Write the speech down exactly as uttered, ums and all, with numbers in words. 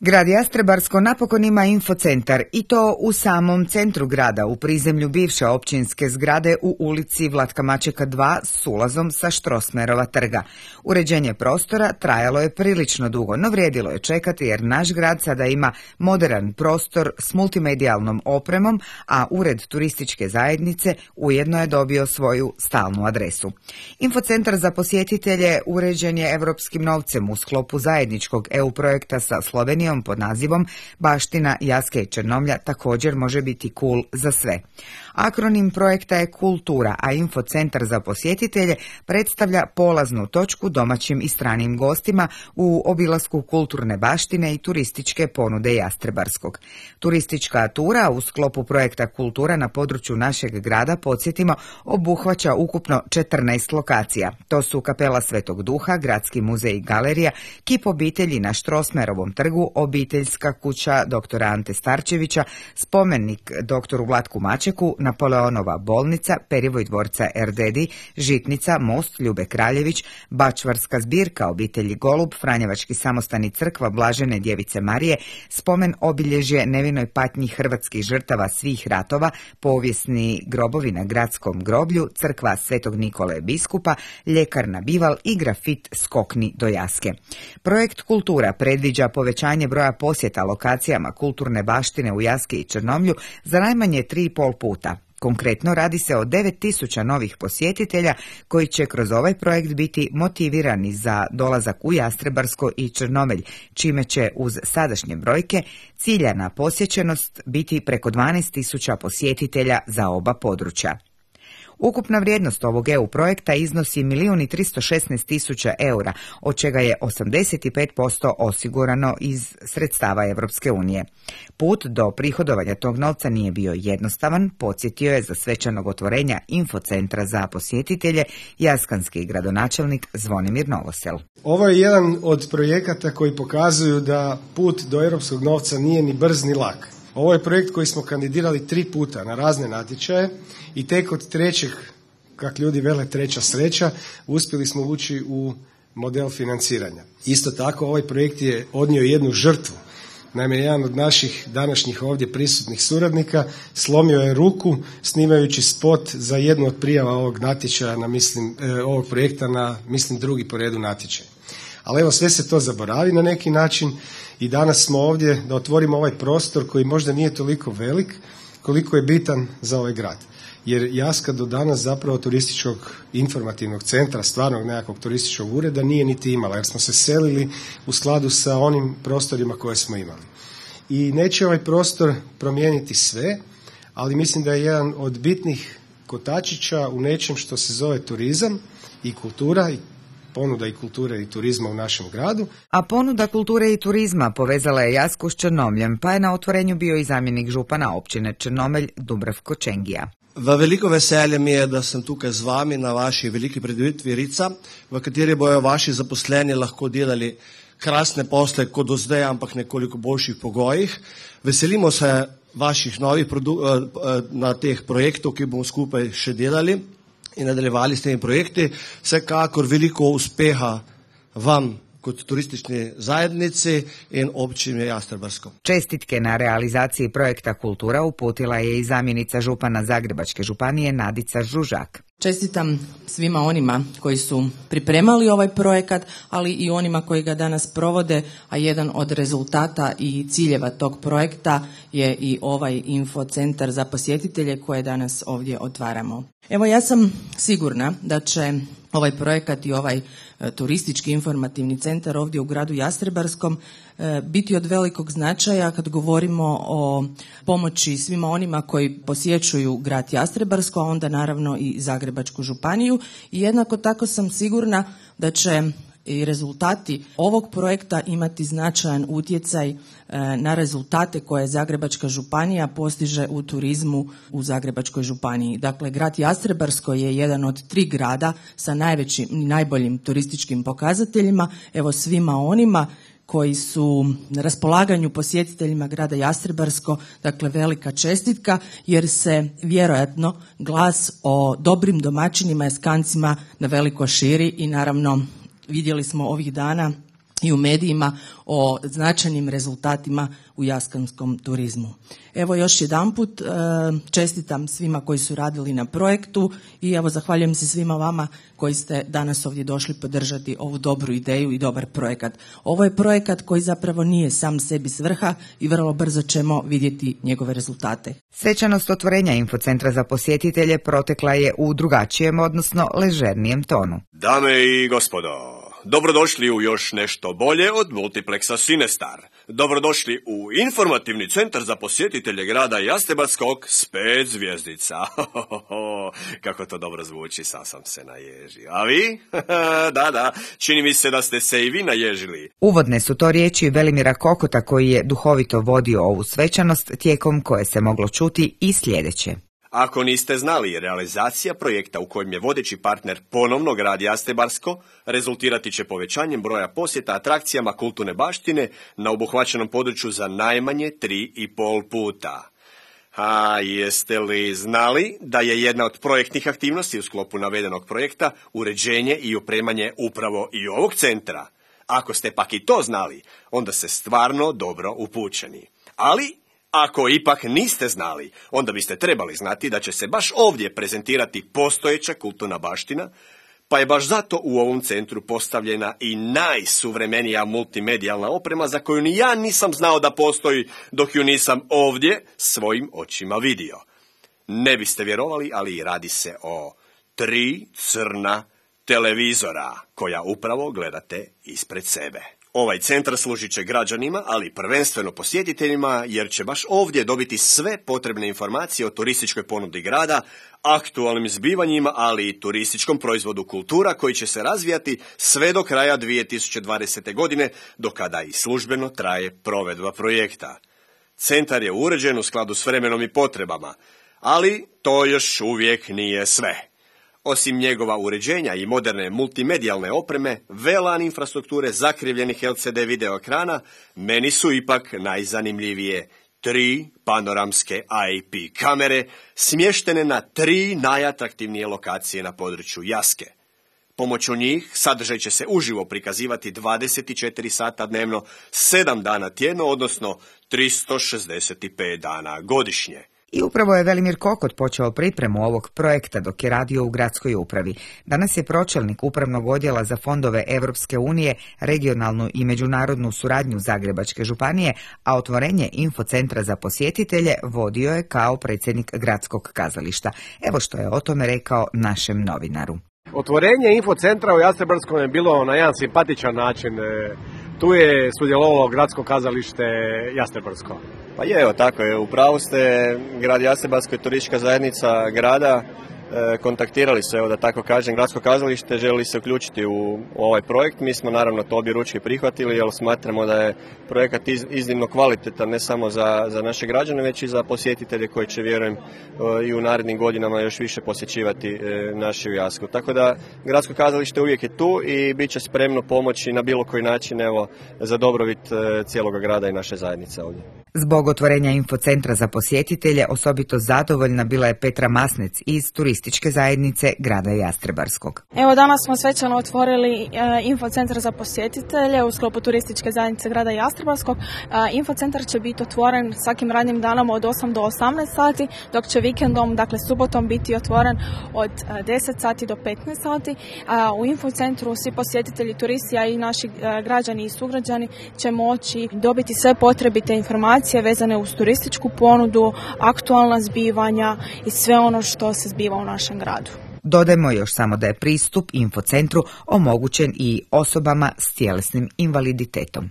Grad Jastrebarsko napokon ima infocentar i to u samom centru grada, u prizemlju bivše općinske zgrade u ulici Vlatka Mačeka dva s ulazom sa Štrosmerova trga. Uređenje prostora trajalo je prilično dugo, no vrijedilo je čekati jer naš grad sada ima moderan prostor s multimedijalnom opremom, a ured turističke zajednice ujedno je dobio svoju stalnu adresu. Infocentar za posjetitelje uređen je europskim novcem u sklopu zajedničkog E U projekta sa Slovenijom pod nazivom Baština Jaske i Črnomlja također može biti cool za sve. Akronim projekta je Kultura, a Infocentar za posjetitelje predstavlja polaznu točku domaćim i stranim gostima u obilasku kulturne baštine i turističke ponude Jastrebarskog. Turistička tura u sklopu projekta Kultura na području našeg grada, podsjetimo, obuhvaća ukupno četrnaest lokacija. To su Kapela Svetog Duha, Gradski muzej i galerija, kip obitelji na Štrosmerovom trgu, obiteljska kuća doktora Ante Starčevića, spomenik doktoru Vlatku Mačeku, Napoleonova bolnica, Perivoj dvorca Erdedi, Žitnica, most Ljube Kraljević, Bačvarska zbirka obitelji Golub, Franjevački samostani crkva Blažene djevice Marije, spomen obilježje nevinoj patnji hrvatskih žrtava svih ratova, povijesni grobovi na gradskom groblju, crkva Svetog Nikole biskupa, ljekarna Bival i grafit Skokni do Jaske. Projekt Kultura predviđa povećanje broja posjeta lokacijama kulturne baštine u Jaski i Črnomlju za najmanje tri i pol puta. Konkretno radi se o devet tisuća novih posjetitelja koji će kroz ovaj projekt biti motivirani za dolazak u Jastrebarsko i Črnomelj, čime će uz sadašnje brojke ciljana posjećenost biti preko dvanaest tisuća posjetitelja za oba područja. Ukupna vrijednost ovog E U projekta iznosi milijun i tristo šesnaest tisuća eura, od čega je osamdeset pet posto osigurano iz sredstava Europske unije. Put do prihodovanja tog novca nije bio jednostavan, podsjetio je za svečanog otvorenja Infocentra za posjetitelje jaskanski gradonačelnik Zvonimir Novosel. Ovo je jedan od projekata koji pokazuju da put do europskog novca nije ni brz ni lak. Ovo je projekt koji smo kandidirali tri puta na razne natječaje i tek od trećeg, kak ljudi vele treća sreća, uspjeli smo ući u model financiranja. Isto tako ovaj projekt je odnio jednu žrtvu. Naime, jedan od naših današnjih ovdje prisutnih suradnika slomio je ruku snimajući spot za jednu od prijava ovog natječaja, na, mislim, ovog projekta na, mislim, drugi po redu natječaj. Ali evo, sve se to zaboravi na neki način i danas smo ovdje da otvorimo ovaj prostor koji možda nije toliko velik koliko je bitan za ovaj grad. Jer Jaska do danas zapravo turističkog informativnog centra, stvarnog nekakvog turističkog ureda nije niti imala, jer smo se selili u skladu sa onim prostorima koje smo imali. I neće ovaj prostor promijeniti sve, ali mislim da je jedan od bitnih kotačića u nečem što se zove turizam i kultura i ponuda i kulture i turizma u našem gradu. A ponuda kulture i turizma povezala je Jasku s Črnomljem, pa je na otvorenju bio i zamjenik župana općine Črnomelj Dubravko Čengija. V veliko veselje mi je, da sem tukaj z vami na vaši veliki predstavitvi Rica, v kateri bojo vaši zaposleni lahko delali krasne posle kot do zdaj, ampak nekoliko boljših pogojih. Veselimo se vaših novih produ- na teh projektov, ki bomo skupaj še delali in nadaljevali s temi projekti. Vsekakor veliko uspeha vam kot turistični zajednici in općini Jastrebarsko. Čestitke na realizaciji projekta Kultura uputila je i zamjenica župana Zagrebačke županije Nadica Žužak. Čestitam svima onima koji su pripremali ovaj projekat, ali i onima koji ga danas provode, a jedan od rezultata i ciljeva tog projekta je i ovaj infocentar za posjetitelje koje danas ovdje otvaramo. Evo, ja sam sigurna da će ovaj projekat i ovaj e, turistički informativni centar ovdje u gradu Jastrebarskom e, biti od velikog značaja kad govorimo o pomoći svima onima koji posjećuju grad Jastrebarsko, a onda naravno i Zagrebačku županiju. I jednako tako sam sigurna da će i rezultati ovog projekta imati značajan utjecaj na rezultate koje Zagrebačka županija postiže u turizmu u Zagrebačkoj županiji. Dakle, grad Jastrebarsko je jedan od tri grada sa najvećim i najboljim turističkim pokazateljima. Evo, svima onima koji su na raspolaganju posjetiteljima grada Jastrebarsko, dakle velika čestitka, jer se vjerojatno glas o dobrim domaćinima, Jaskancima na veliko širi i naravno vidjeli smo ovih dana i u medijima o značajnim rezultatima u jaskanskom turizmu. Evo još jedanput čestitam svima koji su radili na projektu i evo zahvaljujem se svima vama koji ste danas ovdje došli podržati ovu dobru ideju i dobar projekat. Ovo je projekat koji zapravo nije sam sebi svrha i vrlo brzo ćemo vidjeti njegove rezultate. Svečanost otvorenja Infocentra za posjetitelje protekla je u drugačijem, odnosno ležernijem tonu. Dame i gospodo, dobrodošli u još nešto bolje od multipleksa Sinestar. Dobrodošli u informativni centar za posjetitelje grada Jastrebarskog s pet zvjezdica. Kako to dobro zvuči, sam sam se naježio. A vi? Da, da, čini mi se da ste se i vi naježili. Uvodne su to riječi Velimira Kokota koji je duhovito vodio ovu svečanost, tijekom koje se moglo čuti i sljedeće. Ako niste znali, realizacija projekta u kojem je vodeći partner ponovno grad Jastrebarsko rezultirati će povećanjem broja posjeta atrakcijama kulturne baštine na obuhvaćenom području za najmanje tri i pol puta. A jeste li znali da je jedna od projektnih aktivnosti u sklopu navedenog projekta uređenje i opremanje upravo i ovog centra? Ako ste pak i to znali, onda ste stvarno dobro upućeni. Ali ako ipak niste znali, onda biste trebali znati da će se baš ovdje prezentirati postojeća kulturna baština, pa je baš zato u ovom centru postavljena i najsuvremenija multimedijalna oprema za koju ni ja nisam znao da postoji dok ju nisam ovdje svojim očima vidio. Ne biste vjerovali, ali radi se o tri crna televizora koja upravo gledate ispred sebe. Ovaj centar služit će građanima, ali prvenstveno posjetiteljima, jer će baš ovdje dobiti sve potrebne informacije o turističkoj ponudi grada, aktualnim zbivanjima, ali i turističkom proizvodu kultura koji će se razvijati sve do kraja dvije tisuće dvadesete. godine, do kada i službeno traje provedba projekta. Centar je uređen u skladu s vremenom i potrebama, ali to još uvijek nije sve. Osim njegova uređenja i moderne multimedijalne opreme, velan infrastrukture zakrivljenih L C D video ekrana, meni su ipak najzanimljivije tri panoramske I P kamere smještene na tri najatraktivnije lokacije na području Jaske. Pomoću njih sadržaj će se uživo prikazivati dvadeset četiri sata dnevno, sedam dana tjedno, odnosno tristo šezdeset pet dana godišnje. I upravo je Velimir Kokot počeo pripremu ovog projekta dok je radio u gradskoj upravi. Danas je pročelnik upravnog odjela za fondove Europske unije, regionalnu i međunarodnu suradnju Zagrebačke županije, a otvorenje Infocentra za posjetitelje vodio je kao predsjednik gradskog kazališta. Evo što je o tome rekao našem novinaru. Otvorenje Infocentra u Jastrebarskom je bilo na jedan simpatičan način. Tu je sudjelovalo gradsko kazalište Jastrebarsko. Pa je, evo tako je, upravo ste, grad Jastrebarsko je turistička zajednica grada, e, kontaktirali su, evo da tako kažem, gradsko kazalište, želi se uključiti u, u ovaj projekt. Mi smo naravno to objeručke prihvatili, jer smatramo da je projekat iz, iznimno kvalitetan, ne samo za, za naše građane, već i za posjetitelje koji će, vjerujem, e, i u narednim godinama još više posjećivati e, našu Jasku. Tako da gradsko kazalište uvijek je tu i bit će spremno pomoći na bilo koji način, evo, za dobrobit e, cijelog grada i naše zajednice ovdje. Zbog otvorenja Infocentra za posjetitelje osobito zadovoljna bila je Petra Masnec iz turističke zajednice grada Jastrebarskog. Evo danas smo svečano otvorili e, Infocentar za posjetitelje u sklopu turističke zajednice grada Jastrebarskog. E, Infocentar će biti otvoren svakim radnim danom od osam do osamnaest sati, dok će vikendom, dakle subotom, biti otvoren od e, deset sati do petnaest sati. E, u Infocentru svi posjetitelji, turisti, a i naši e, građani i sugrađani će moći dobiti sve potrebite informacije vezane uz turističku ponudu, aktualna zbivanja i sve ono što se zbiva u našem gradu. Dodajmo još samo da je pristup Infocentru omogućen i osobama s tjelesnim invaliditetom.